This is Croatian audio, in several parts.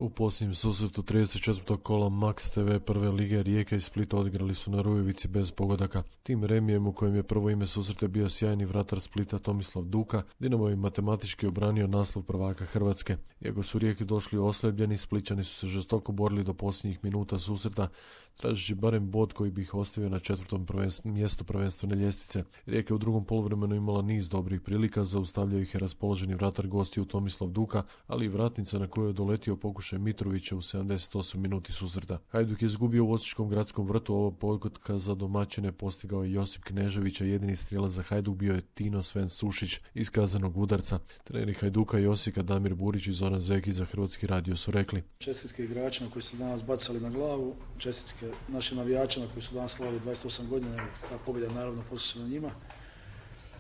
U posljednjem susretu 34. kola Max TV prve lige Rijeka i Splita odigrali su na Rujevici bez pogodaka. Tim remijem u kojem je prvo ime susreta bio sjajni vratar Splita Tomislav Duka, Dinamo je matematički obranio naslov prvaka Hrvatske. Iako su Rijeki došli oslabljeni, Splićani su se žestoko borili do posljednjih minuta susreta, tražeći barem bod koji bi ih ostavio na četvrtom mjestu prvenstvene ljestvice. Rijeka u drugom poluvremenu imala niz dobrih prilika, zaustavljao ih je raspoloženi vratar gostiju Tomislav Duka, ali i vratnica na koju je doletio pokušaj Mitrovića u 78 minuti susreta. Hajduk je izgubio u Osječkom gradskom vrtu, ovo pogotka za domaćine postigao je Josip Knežević, a jedini strijelac za Hajduk bio je Tino Sven Sušić iz kazanog udarca. Treneri Hajduka i Osijeka Damir Burić i Zoran Zekić za Hrvatski radio su rekli: čestitke igračima koji su danas bacali na glavu, čestitke našim navijačima koji su danas slavili 28 godina, ta pobjeda je naravno posjećena njima.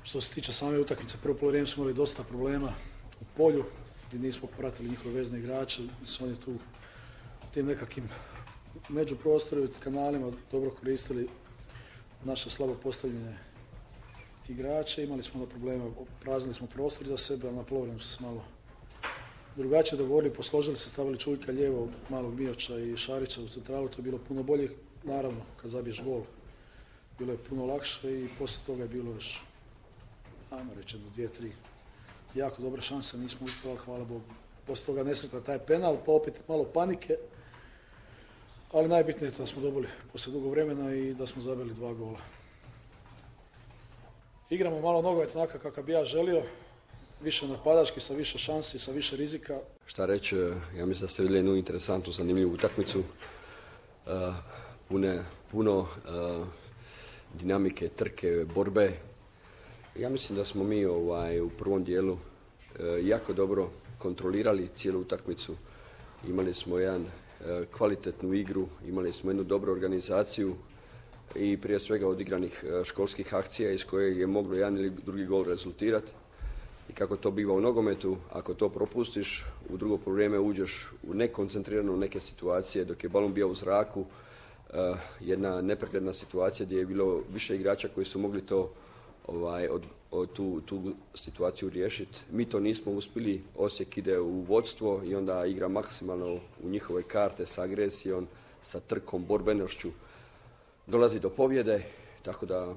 Što se tiče same utakmice, prvo poluvrijeme smo imali dosta problema u polju gdje nismo pratili njihove vezne igrače, su oni tu tim nekakvim međuprostoru i kanalima dobro koristili naše slabo postavljene igrače. Imali smo problema, praznili smo prostor za sebe, ali na poluvremenu su se malo drugačije dogovorili, posložili se, stavili Čuljka lijevo, malog Mijoća i Šarića u centralu, to je bilo puno bolje. Naravno, kad zabiješ gol, bilo je puno lakše i poslije toga je bilo još, ajmo reći, 2-3 jako dobre šanse, nismo uspjeli, hvala Bogu. Poslije toga nesretna taj penal, pa opet malo panike, ali najbitnije je da smo dobili poslije dugo vremena i da smo zabili 2 gola. Igramo malo nogomet onako kako bi ja želio, više napadački, sa više šansi, sa više rizika. Šta reći, ja mislim da ste vidjeli jednu interesantnu, zanimljivu utakmicu. Puno dinamike, trke, borbe. Ja mislim da smo mi u prvom dijelu jako dobro kontrolirali cijelu utakmicu. Imali smo jedan kvalitetnu igru, imali smo jednu dobru organizaciju i prije svega odigranih školskih akcija iz koje je moglo jedan ili drugi gol rezultirati. I kako to biva u nogometu, ako to propustiš, u drugo vrijeme uđeš u nekoncentrirano neke situacije dok je balon bio u zraku, jedna nepregledna situacija gdje je bilo više igrača koji su mogli to tu situaciju riješiti. Mi to nismo uspjeli, Osijek ide u vodstvo i onda igra maksimalno u njihove karte sa agresijom, sa trkom, borbenošću. Dolazi do pobjede, tako da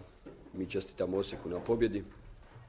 mi čestitamo Osijeku na pobjedi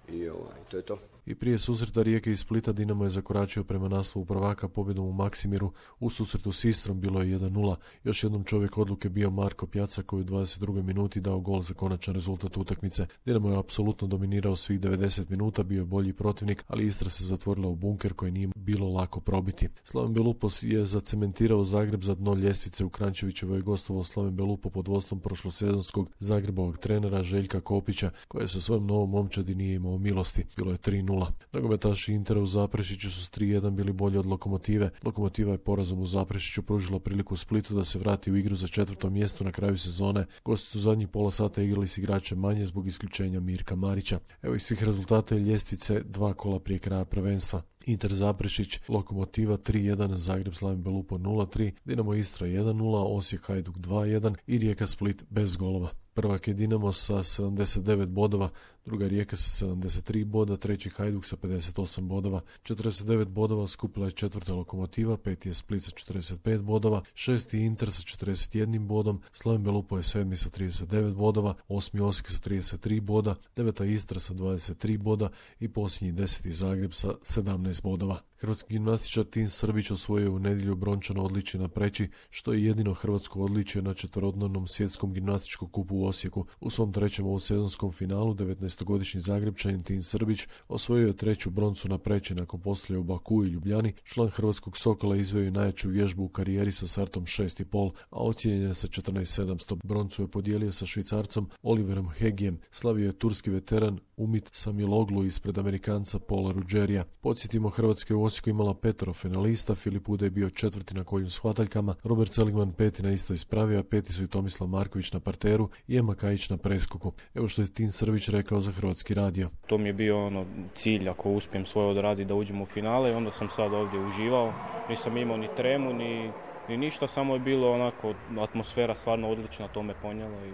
i to je to. I prije susreta Rijeke i Splita Dinamo je zakoračio prema naslovu prvaka pobjedom u Maksimiru. U susretu s Istrom bilo je 1-0. Još jednom čovjek odluke bio Marko Pjaca koji u 22. minuti dao gol za konačan rezultat utakmice. Dinamo je apsolutno dominirao svih 90 minuta, bio je bolji protivnik, ali Istra se zatvorila u bunker koji nije bilo lako probiti. Slaven Belupos je zacementirao Zagreb za dno ljestvice. U Krančevićevoj je gostovao Slaven Belupo pod vodstvom prošlosezonskog Zagrebovog trenera Željka Kopića, koji sa svojom novom momčadi nije imao milosti. Bilo je 3-0. Nogometaši Intera u Zaprešiću su s 3-1 bili bolji od Lokomotive. Lokomotiva je porazom u Zaprešiću pružila priliku Splitu da se vrati u igru za 4. mjesto na kraju sezone. Gosti su zadnjih pola sata igrali s igračem manje zbog isključenja Mirka Marića. Evo iz svih rezultata ljestvice 2 kola prije kraja prvenstva. Inter Zaprešić, Lokomotiva 3-1, Zagreb Slaven Belupo 0-3, Dinamo Istra 1-0, Osijek Hajduk 2-1 i Rijeka Split bez golova. Prvak je Dinamo sa 79 bodova, druga Rijeka sa 73 boda, treći Hajduk sa 58 bodova, 49 bodova skupila je četvrta Lokomotiva, peti je Split sa 45 bodova, šesti Inter sa 41 bodom, Slaven Belupo je sedmi sa 39 bodova, osmi Osijek sa 33 boda, deveta Istra sa 23 boda i posljednji 10. Zagreb sa 17 bodova. Hrvatski gimnastičar Tin Srbić osvojio u nedjelju brončano odličje na Preći, što je jedino hrvatsko odličje na četverodnevnom svjetskom gimnastičkom kupu u Osijeku. U svom trećem ovosezonskom finalu 19-godišnji Zagrebčanin Tin Srbić osvojio je treću broncu na Preći nakon poslije u Baku i Ljubljani. Član hrvatskog Sokola izveo je najjaču vježbu u karijeri sa startom 6,5, a ocijenjen je sa 14.700. Broncu je podijelio sa Švicarcom Oliverom Hegijem. Slavio je turski veteran Umit Samiloglu ispred Amerikanca Paula Rugerija. Podsjetimo, Hrvatska je u Osijeku imala 5 finalista, Filip Ude je bio 4. na kolju s hvataljkama, Robert Seligman 5. na istoj spravi, a 5. su i Tomislav Marković na parteru i Ema Kajić na preskoku. Evo što je Tin Srbić rekao za Hrvatski radio. To mi je bio cilj, ako uspijem svoje odraditi, da uđem u finale i onda sam sad ovdje uživao. Nisam imao ni tremu, ni ništa, samo je bilo onako, atmosfera stvarno odlična, to me ponijelo i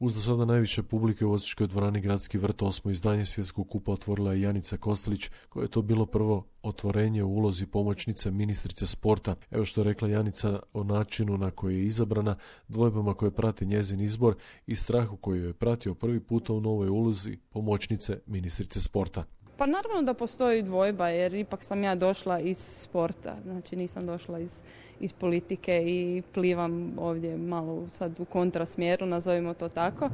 Uz do sada najviše publike u Osječkoj dvorani Gradski vrt 8. izdanje Svjetskog kupa otvorila je Janica Kostelić, koje je to bilo prvo otvorenje u ulozi pomoćnice ministrice sporta. Evo što je rekla Janica o načinu na koji je izabrana, dvojbama koje prati njezin izbor i strahu koji je pratio prvi puta u novoj ulozi pomoćnice ministrice sporta. Pa naravno da postoji dvojba, jer ipak sam ja došla iz sporta, znači nisam došla iz politike i plivam ovdje malo sad u kontrasmjeru, nazovimo to tako.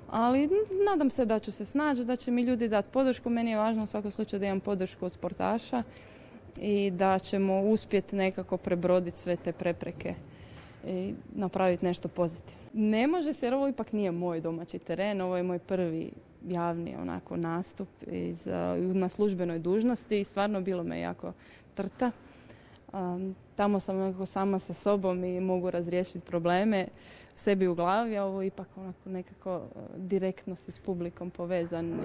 Ali nadam se da ću se snaći, da će mi ljudi dati podršku. Meni je važno u svakom slučaju da imam podršku od sportaša i da ćemo uspjeti nekako prebroditi sve te prepreke i napraviti nešto pozitivno. Ne može se, jer ovo ipak nije moj domaći teren, ovo je moj prvi javni nastup na službenoj dužnosti i stvarno bilo me jako trta. Tamo sam sama sa sobom i mogu razriješiti probleme sebi u glavi, a ovo ipak nekako direktno si s publikom povezan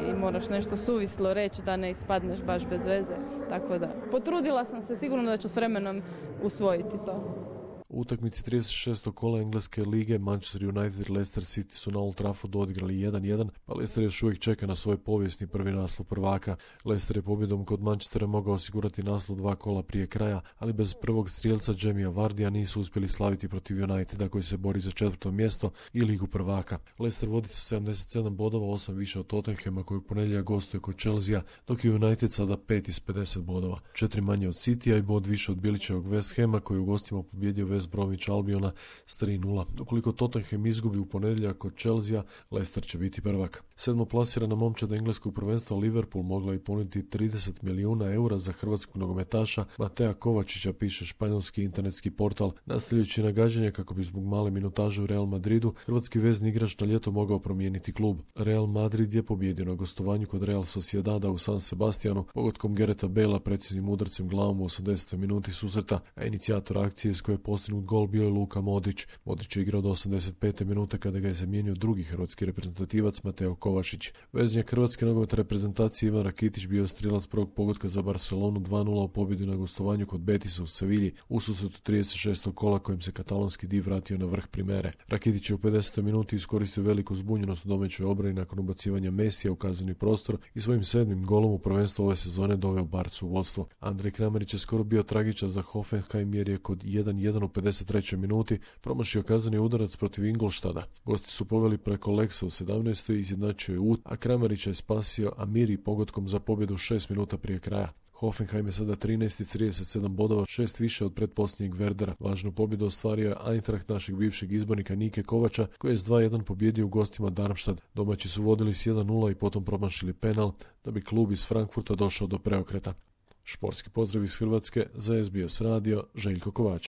i moraš nešto suvislo reći da ne ispadneš baš bez veze. Tako da potrudila sam se, sigurno da ću s vremenom usvojiti to. U utakmici 36. kola Engleske lige Manchester United i Leicester City su na Old Traffordu odigrali 1-1, pa Leicester još uvijek čeka na svoj povijesni prvi naslov prvaka. Leicester je pobjedom kod Manchestera mogao osigurati naslov 2 kola prije kraja, ali bez prvog strijelca Jamija Vardija nisu uspjeli slaviti protiv Uniteda koji se bori za 4. mjesto i ligu prvaka. Leicester vodi sa 77 bodova, 8 više od Tottenhama koji u ponedjeljak gostuje kod Chelsea, dok je United sada 5 iz 50 bodova. 4 manje od Citya i bod više od Bilićevog West Hama koji u gostima pobjedio West Bromwich Albiona s 3-0. Ukoliko Tottenham izgubi u ponedjeljak kod Chelsea, Leicester će biti prvak. 7. plasirana momčad engleskog prvenstva Liverpool mogla i ponuditi 30 milijuna eura za hrvatskog nogometaša Matea Kovačića, piše španjolski internetski portal. Nastavljajući nagađanje kako bi zbog male minutaže u Real Madridu hrvatski vezni igrač na ljeto mogao promijeniti klub. Real Madrid je pobjedio na gostovanju kod Real Sociedada u San Sebastianu pogodkom Gareta Bale'a preciznim udarcem glavom u 80. minuti susreta, a inicijator akcije iz koje je postignut gol bio je Luka Modrić. Modrić je igrao do 85. minute kada ga je zamijenio drugi hrvatski reprezentativac Mateo Kovačić. Veznjak hrvatske nogometne reprezentacije Ivan Rakitić bio je strijelac prvog pogotka za Barcelonu 2-0 u pobjedi na gostovanju kod Betisa u Sevilji u susretu 36. kola kojim se katalonski div vratio na vrh primere. Rakitić je u 50. minuti iskoristio veliku zbunjenost u domaćoj obrani nakon ubacivanja Mesija u kazneni prostor i svojim 7. golom u prvenstvu ove sezone doveo Barcu u vodstvo. Andrej Kramarić je skoro bio tragičan za Hoffenheim jer je kod 1-1 u 53. minuti promašio kazneni udarac protiv Ingolštada. Gosti su poveli preko Lexa u 17. i izjednačio je Ut, a Kramarića je spasio Amiri pogodkom za pobjedu 6 minuta prije kraja. Hoffenheim je sada 13. 37 bodova, 6 više od pretposljednjeg Werdera. Važnu pobjedu ostvario je Eintracht našeg bivšeg izbornika Nike Kovača, koji je s 2-1 pobjedio u gostima Darmstadt. Domaći su vodili s 1-0 i potom promašili penal, da bi klub iz Frankfurta došao do preokreta. Športski pozdrav iz Hrvatske za SBS radio, Željko Kovač.